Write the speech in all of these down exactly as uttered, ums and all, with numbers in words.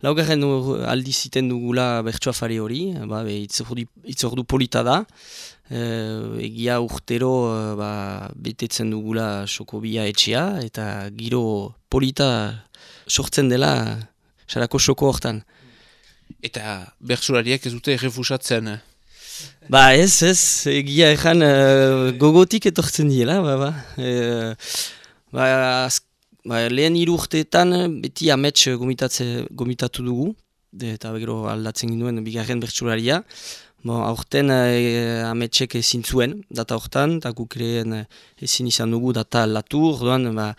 laugarren aldi ziten dugula bertsoafari hori, ba, itzordu polita da, e, egia urtero ba, betetzen dugula Sokobia etxea, eta giro polita sortzen dela sarako soko hortan. Eta bertsolariak ez dute errefusatzen? Ba ez, ez, egia ezan uh, gogotik etortzen diela, ba, ba. E, ba, ba, lehen hiru urteetan beti amets gomitatu dugu, de, eta gero aldatzen ginduen bigarren bertsolaria. Bon, aurten e, ametsek ezin zuen data hortan, eta guk ere ezin izan dugu data aldatu, orduan, ba,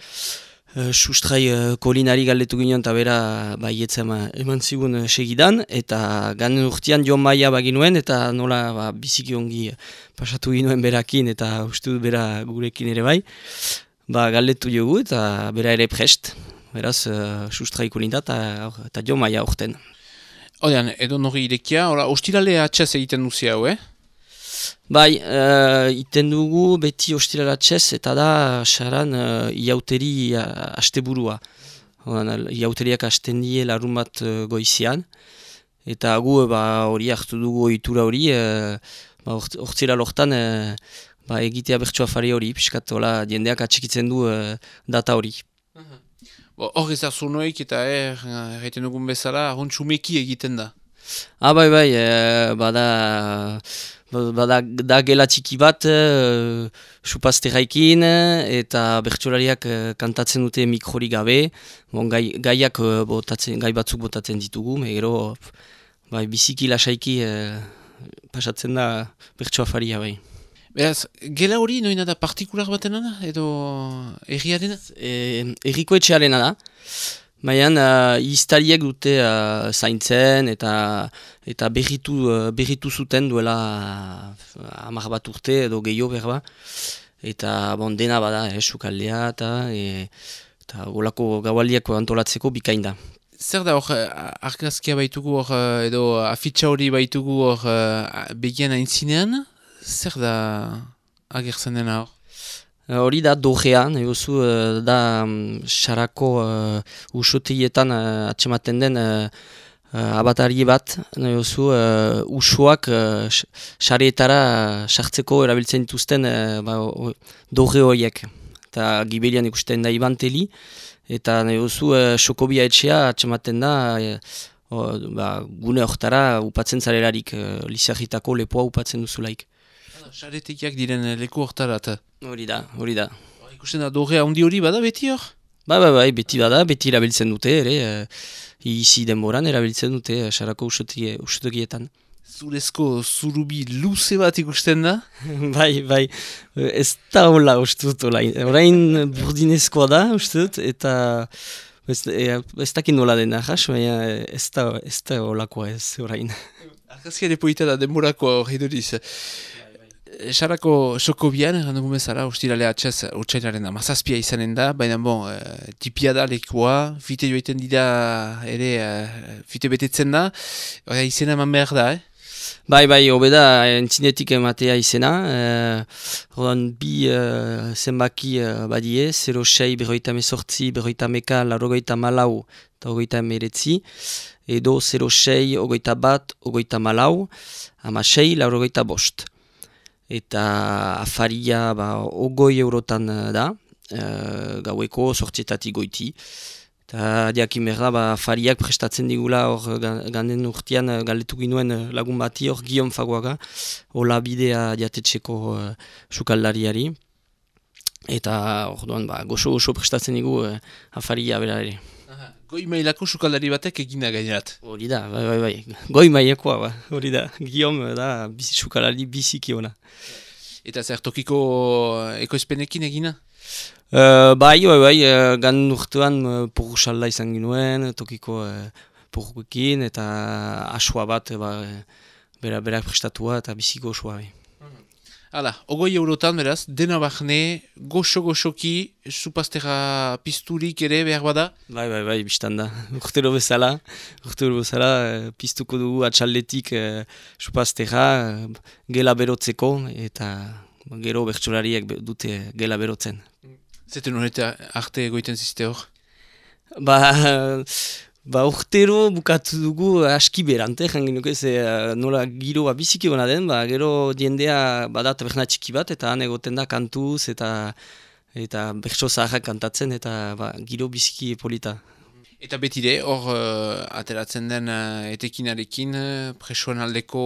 Uh, sustrai uh, kolinari galdetu ginen eta bera baietzen eman zigun uh, segidan, eta ganen urtean Jon Maia baginuen, eta nola ba, biziki ongi pasatu ginoen berakin, eta uste dut bera gurekin ere bai, ba, galdetu jogu eta bera ere prest, beraz uh, sustrai kolinda eta Jon Maia urten. Odean, edo nori irekia, ostirale atxez egiten duzi hau, eh? Bai, uh, iten dugu beti ostiralatxez eta da saran uh, iauteri uh, asteburua. Iauteriak hasten die larun bat uh, goizian. Eta gu ba, hori hartu dugu ohitura hori, uh, ba, ortzira lortan uh, ba, egitea bertsoafari hori, piskat jendeak atxikitzen du uh, data hori. Hor ez da zunoik eta er, erraiten dugun bezala, hontxumeki egiten da. Ah, bai, bai, uh, bada... Bada da gela txiki bat, uh, supazterraikin, eta bertsolariak uh, kantatzen dute mikrori gabe, bon, gai, gaiak uh, botatzen, gai batzuk botatzen ditugu, megero bai, biziki lasaiki uh, pasatzen da bertsoafaria bai. Beraz, gela hori noina da partikular batena da, edo erriarena? E, erriko etxearena da. Baina uh, iztariek dute uh, zaintzen eta eta berritu, uh, berritu zuten duela uh, hamar bat urte edo gehiago berba. Eta bon, dena bada, eh, sukaldea eta e, eta golako gaualdiak antolatzeko bikain da. Zer da hor, argazkia baitugu hor, edo afitxa hori baitugu hor begian aintzinean? Zer da agertzen dena hor? Hori da dogea, egozu da sarako um, uh, usotegietan uh, atxematen den uh, uh, abatari bat, egozu uh, usoak uh, sareetara sartzeko erabiltzen dituzten uh, ba, doge horiek. Eta gibelian ikusten da ibanteli, eta egozu uh, Sokobia etxea atxematen da uh, uh, ba, gune hortara upatzen zarelarik, uh, lizarritako lepoa upatzen duzulaik. Saretekiak diren leku hortarat. Hori da, hori da. Ikusten da, dogea handi hori bada beti hor? Ba, ba, ba, beti bada, beti erabiltzen dute, ere, e, izi denboran erabiltzen dute, sarako usutogietan. Zurezko zurubi luze bat ikusten da? Bai, bai, ez da hola uste dut, orain burdinezkoa da, uste dut, eta ez, e, ez dakin nola dena, jas, baina ez da, ez da holakoa ez, orain. Argazkia depoita da denborako hori duriz. Sarako Sokobian, errandugu bezala, ustirale atxez, urtsailaren amazazpia izanen da, baina bon, e, tipia da lekua, fite joiten dira ere, e, fite betetzen da, oda izena eman behar da, eh? Bai, bai, hobeda entzinetik ematea izena, e, bi e, zenbaki e, badie, zero sei, berroita mesortzi, berroita meka, larogeita malau, eta ogoita emeretzi, edo zero sei, ogoita bat, ogoita malau, ama sei, larogeita bost. Eta afaria ba, ogoi eurotan da, e, gaueko sortzietatik goiti. Eta diakin berda, ba, afariak prestatzen digula hor ganden urtean galdetu ginuen lagun bati hor Guillaume Faguaga, hola bidea diatetxeko uh, sukaldariari. Eta hor duan, ba, goxo-goxo prestatzen digu uh, afaria bera ere. Goi mailako sukaldari batek egina gainerat. Hori da, bai, bai, bai. Goi mailakoa, ba. Hori da. Guillaume da bizi, sukaldari biziki ona. Eta zer tokiko ekoizpenekin egina? Uh, bai, bai, bai. Uh, gan urtean uh, porru salda izan ginuen, tokiko uh, porruekin, eta asua bat, ba, bera, berak prestatua eta biziko osua, bai. Hala, ogoi eurotan beraz, dena bahne, goxo-goxoki, supaztera pizturik ere behar bada? Bai, bai, bai, biztan da. Urtero bezala, urtero bezala, piztuko dugu atxaldetik eh, supaztera, gela berotzeko, eta gero bertsolariek dute gela berotzen. Zeten horreta arte egoiten zizte hor? Ba, Ba, urtero bukatu dugu aski berante, jangin nuke, ze uh, nola giroa biziki hona den, ba, gero diendea badat taberna txiki bat, eta han egoten da kantuz, eta eta bertso zaharrak kantatzen, eta ba, giro biziki polita. Eta betire, hor uh, ateratzen den uh, etekinarekin uh, presoen aldeko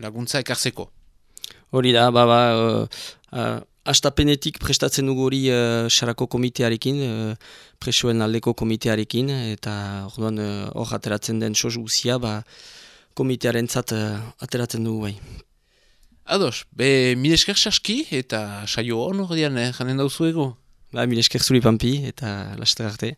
laguntza ekartzeko. Hori da, ba, ba, uh, uh, astapenetik prestatzen dugu hori uh, Sarako komitearekin, uh, presoen aldeko komitearekin, eta orduan hor uh, ateratzen den sos guzia, ba, komitearen zat uh, ateratzen dugu bai. Ados, be mil esker saski eta saio hon hor dian, eh, janen dauzu ego? Ba, mil esker zuri Pampi eta laster arte.